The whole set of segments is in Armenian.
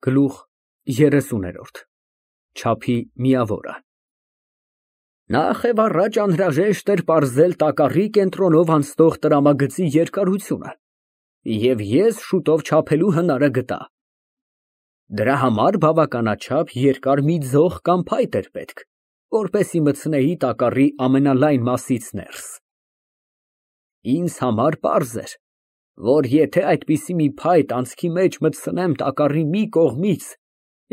Գլուխ 30 Չափի միավորը Նախ և առաջ անհրաժեշտ էր պարզել տակառի կենտրոնով անցնող տրամագծի երկարությունը, և ես շուտով չափելու հնարը գտա։ Դրա համար բավականաչափ երկար մի ձող կամ փայտ էր պետք, որպեսզի մտցնեի տակառի ամենալայն մասից ներս։ Ինձ համար պարզ էր, որ եթե այդպիսի մի փայտ անցքի մեջ մտցնեմ տակառի մի կողմից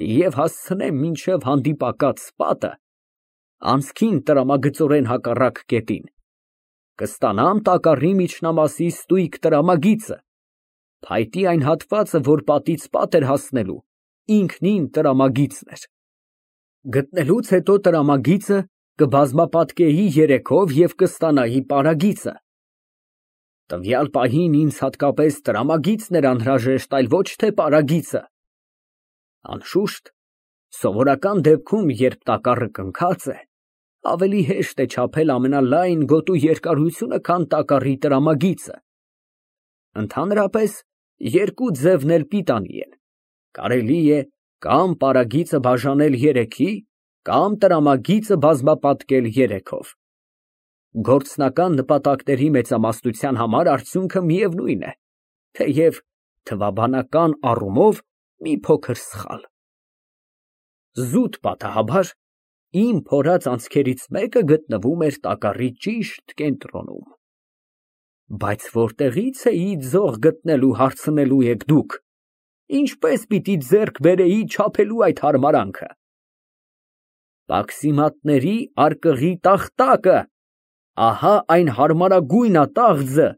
և հասցնեմ մինչև հանդիպակաց պատը, անցքին տրամագծորեն հակառակ կետին, կստանամ տակառի միջնամասի ստույգ տրամագիծը, փայտի այն հատվածը, որ պատից պատ էր հասնելու, ինքնին տրամագիծն էր։ Գտնելուց հետո տրամագիծը կբազմապատկեի երեքով և կստանայի պարագիծը։ Տվյալ պահին ինձ հատկապես տրամագիծն էր անհրաժեշտ, այլ ոչ թե պարագիծը։ Անշուշտ, սովորական դեպքում, երբ տակառը կնքած է, ավելի հեշտ է չափել ամենալայն գոտու երկարությունը, քան տակառի տրամագիծը։ Ընդհանրապես, երկու ձևն էլ պիտանի են. կարելի է կամ պարագիծը բաժանել երեքի, կամ տրամագիծը բազմապատկել երեքով։ Գործնական նպատակների մեծամասնության համար արդյունքը միևնույն է, թեև թվաբանական առումով մի փոքր սխալ։ Զուտ պատահաբար, իմ փորած անցքերից մեկը գտնվում էր տակառի ճիշտ կենտրոնում։ Բայց որտեղի՞ց էի ձող գտնելու, հարցնելու եք դուք։ Ինչպես պիտի ձեռք բերեի չափելու այդ հարմարանքը։ Պաքսիմատների արկղի տախտակը, ահա այն հարմարագույն ատաղձը,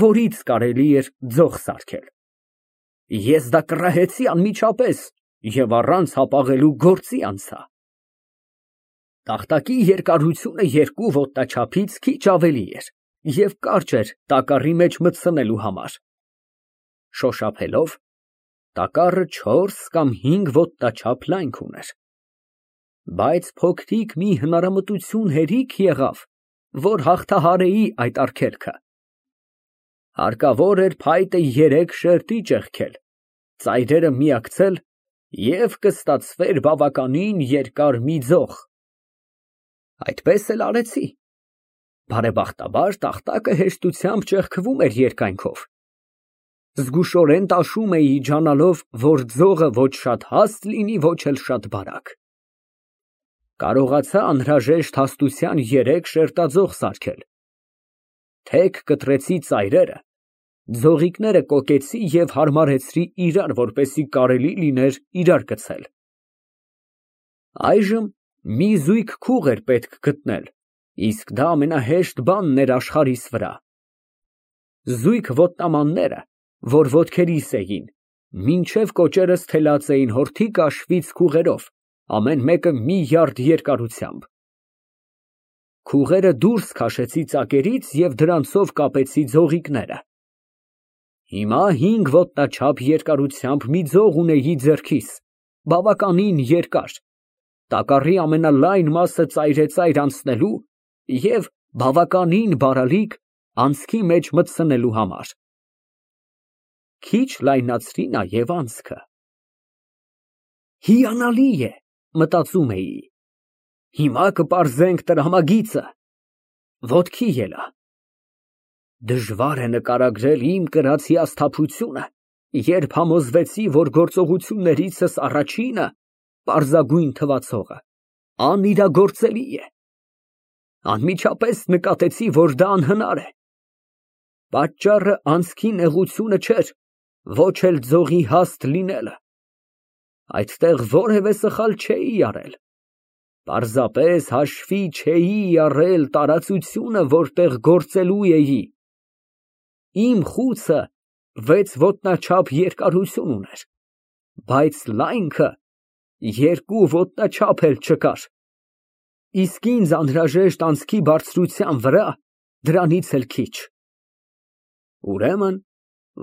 որից կարելի էր ձող սարքել։ Ես դա կռահեցի անմիջապես և առանց հապաղելու գործի անցա։ Տախտակի երկարությունը 2 ոտնաչափից քիչ ավելի էր և կարճ էր տակառի մեջ մտցնելու համար։ Շոշափելով, տակառը 4 կամ 5 ոտնաչափ լայնք ուներ։ Բայց փոքրիկ մի հնարամտություն հերիք եղավ, որ հաղթահարեի այդ արգելքը։ Հարկավոր էր փայտը 3 շերտի ճեղքել, ծայրերը միակցել և կստացվեր բավականին երկար մի ձող։ Այդպես էլ արեցի։ Բարեբախտաբար, տախտակը հեշտությամբ ճեղքվում էր երկայնքով։ Զգուշորեն տաշում էի, ջանալով, որ ձողը ոչ շատ հաստ լինի, ոչ էլ շատ բարակ։ Կարողացա անհրաժեշտ հաստության 3 շերտաձող սարքել։ Թեք կտրեցի ծայրերը, ձողիկները կոկեցի և հարմարեցրի իրար, որպեսզի կարելի լիներ իրար գցել։ Այժմ մի զույգ քուղ էր պետք գտնել, իսկ դա ամենահեշտ բանն էր աշխարհիս վրա։ Զույգ ոտնամանները, որ ոտքերիս էին, մինչև կոճերս թելած էին հորթի կաշվից քուղերով, ամեն մեկը մի յարդ երկարությամբ։ Քուղերը դուրս քաշեցի ծակերից և դրանցով կապեցի ձողիկները։ Հիմա 5 ոտնաչափ երկարությամբ մի ձող ունեի ձեռքիս, բավականին երկար, տակառի ամենալայն մասը ծայրեծայր անցնելու և բավականին բարալիկ անցքի մեջ մտցնելու համար։ Քիչ լայնացրի նաև անցքը։ Հիանալի է, մտածում էի, հիմա կպարզենք տրամագիծը։ Ոտքի ելա։ Դժվար է նկարագրել իմ կրած հիասթափությունը, երբ համոզվեցի, որ գործողություններիցս առաջինը, պարզագույն թվացողը, անիրագործելի է։ Անմիջապես նկատեցի, որ դա անհնար է։ Պատճառը անցքի նեղությունը չէր, ոչ էլ ձողի հաստ լինելը։ Այդտեղ որևէ սխալ չէի արել։ Պարզապես հաշվի չէի առել տարածությունը, որտեղ գործելու էի։ Իմ խուցը 6 ոտնաչափ երկարություն ուներ, բայց լայնքը 2 ոտնաչափ էլ չկար, իսկ ինձ անհրաժեշտ անցքի բարձրության վրա դրանից էլ քիչ։ Ուրեմն,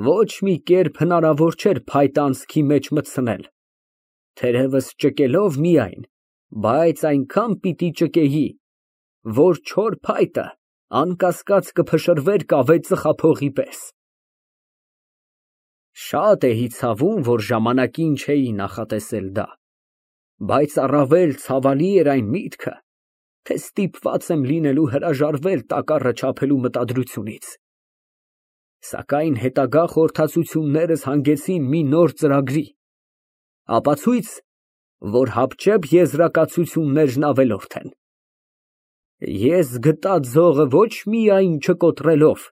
ոչ մի կերպ հնարավոր չէր փայտը անցքի մեջ մտցնել, թերևս ճկելով միայն, բայց այնքան պիտի ճկեի, որ չոր փայտը անկասկած կփշրվեր կավե ծխափողի պես։ Շատ էի ցավում, որ ժամանակին չէի նախատեսել դա, բայց առավել ցավալի էր այն միտքը, թե ստիպված եմ լինելու հրաժարվել տակառը չափելու մտադրությունից։ Սակայն հետագա խորհրդածություններս հանգեցին մի նոր ծրագրի, ապացույց, որ հապճեպ եզրակացություններն ավելորդ են։ Ես գտա ձողը ոչ միայն չկոտրելով,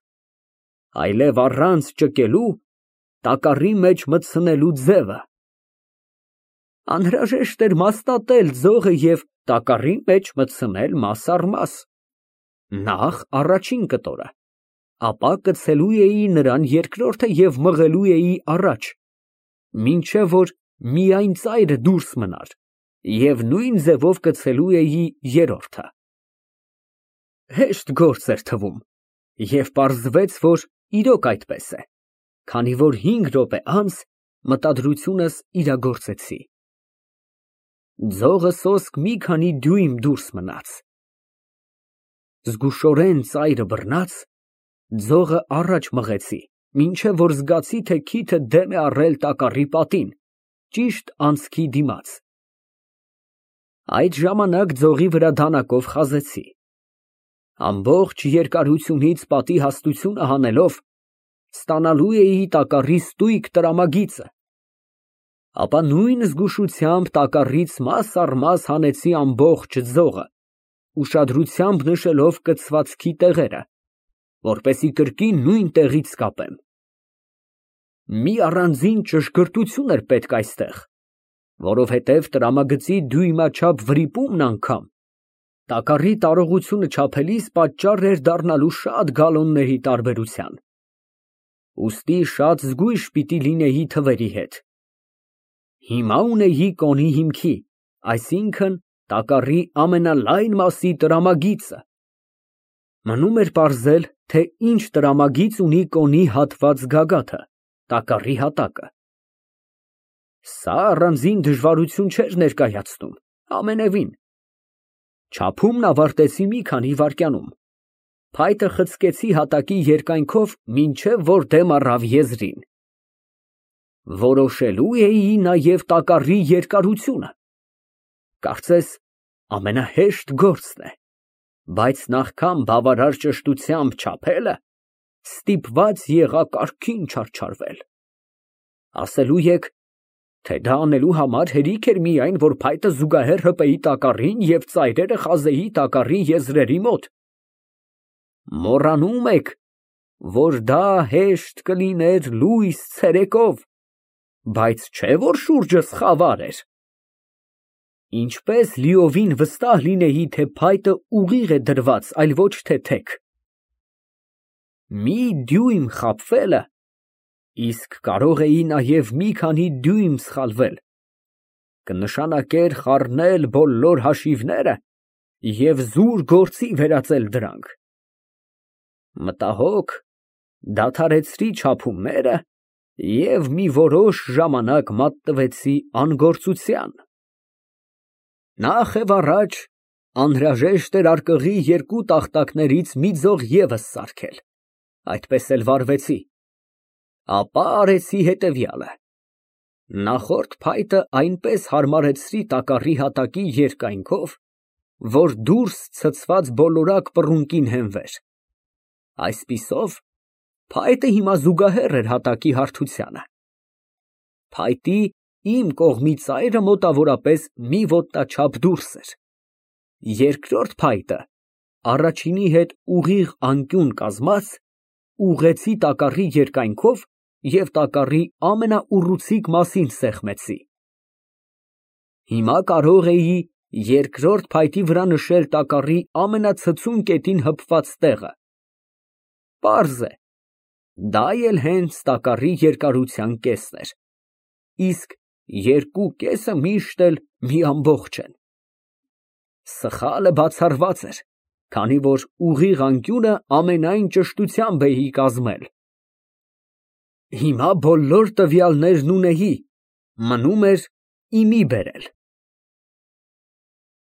այլև առանց ճկելու տակառի մեջ մտցնելու ձևը։ Անհրաժեշտ էր մասնատել ձողը և տակառի մեջ մտցնել մաս առ մաս, նախ առաջին կտորը, ապա կցելու էի նրան երկրորդը և մղելու էի առաջ, մինչև որ միայն ծայրը դուրս մնար և նույն ձևով կցելու էի երրորդը։ Հեշտ գործ էր թվում և պարզվեց, որ իրոք այդպես է, քանի որ 5 րոպե անց մտադրությունս իրագործեցի։ Ձողը սոսկ մի քանի դյույմ դուրս մնաց։ Զգուշորեն ծայրը բռնած, ձողը առաջ մղեցի, մինչև որ զգացի, թե քիթը դեմ է առել տակառի պատին, ճիշտ անցքի դիմաց։ Այդ ժամանակ ձողի վրա դանակով խազեցի։ Ամբողջ երկարությունից պատի հաստությունը հանելով, ստանալու էի տակառի ստույգ տրամագիծը, ապա նույն զգուշությամբ տակառից մաս առ մաս հանեցի ամբողջ ձողը, ուշադրությամբ նշելով կցվածքի տեղերը, որպեսզի կրկին նույն տեղից կապեմ։ Մի առանձին ճշգրտություն էր պետք այստեղ, որովհետև տրամագծի դյույմաչափ վրիպումն անգամ տակառի տարողությունը չափելիս պատճառ էր դառնալու շատ գալոնների տարբերության։ Ուստի շատ զգույշ պիտի լինեի թվերի հետ։ Հիմա ունեի կոնի հիմքի, այսինքն տակառի ամենալայն մասի տրամագիծը։ Մնում էր պարզել, թե ինչ տրամագիծ ունի կոնի հատված գագաթը, տակառի հատակը։ Սա առանձին դժվարություն չէր ներկայացնում, ամենևին։ Չափումն ավարտեցի մի քանի վայրկյանում։ Փայտը խցկեցի հատակի երկայնքով, մինչև որ դեմ առավ եզրին։ Որոշելու էի նաև տակառի երկարությունը։ Կարծես ամենահեշտ գործն է, բայց նախքան բավարար ճշտությամբ չափելը, ստիպված եղա կարգին չարչարվել։ Ասելու եք, թե դա անելու համար հերիք էր միայն, որ փայտը զուգահեռ հպեի տակառին և ծայրերը խազեի տակառի եզրերի մոտ։ Մոռանում եք, որ դա հեշտ կլիներ լույս ցերեկով, բայց չէ որ շուրջս խավար էր։ Ինչպես լիովին վստահ լինեի, թե փայտը ուղիղ է դրված, այլ ոչ թե թեք։ Մի դյույմ խաբվելը, իսկ կարող էի նաև մի քանի դյույմ սխալվել, կնշանակեր խառնել բոլոր հաշիվները և զուր գործի վերածել դրանք։ Մտահոգ դադարեցրի չափումները և մի որոշ ժամանակ մատնվեցի անգործության։ Նախ և առաջ անհրաժեշտ էրարկղի 2 տախտակներից մի ձող ևս սարքել, այդպես էլ վարվեցի։ Ապա արեցի հետևյալը. նախորդ փայտը այնպես հարմարեցրի տակառի հատակի երկայնքով, որ դուրս ցցված բոլորակ պռունկին հենվեր։ Այսպիսով, փայտը հիմա զուգահեռ էր հատակի հարթությանը։ Փայտի իմ կողմի ծայրը մոտավորապես մի ոտնաչափ դուրս էր։ Երկրորդ փայտը, առաջինի հետ ուղիղ անկյուն կազմած, ուղղեցի տակառի երկայնքով և տակառի ամենաուռուցիկ մասին սեղմեցի։ Հիմա կարող էի երկրորդ փայտի վրա նշել տակառի ամենացցուն կետին հպված տեղը։ Պարզ է, դա էլ հենց տակառի երկարության կեսն էր, իսկ 2 կեսը միշտ էլ մի ամբողջ են։ Սխալը բացառված էր, քանի որ ուղիղ անկյունը ամենայն ճշտությամբ էի կազմել։ Հիմա բոլոր տվյալներն ունեի, մնում էր իմի բերել։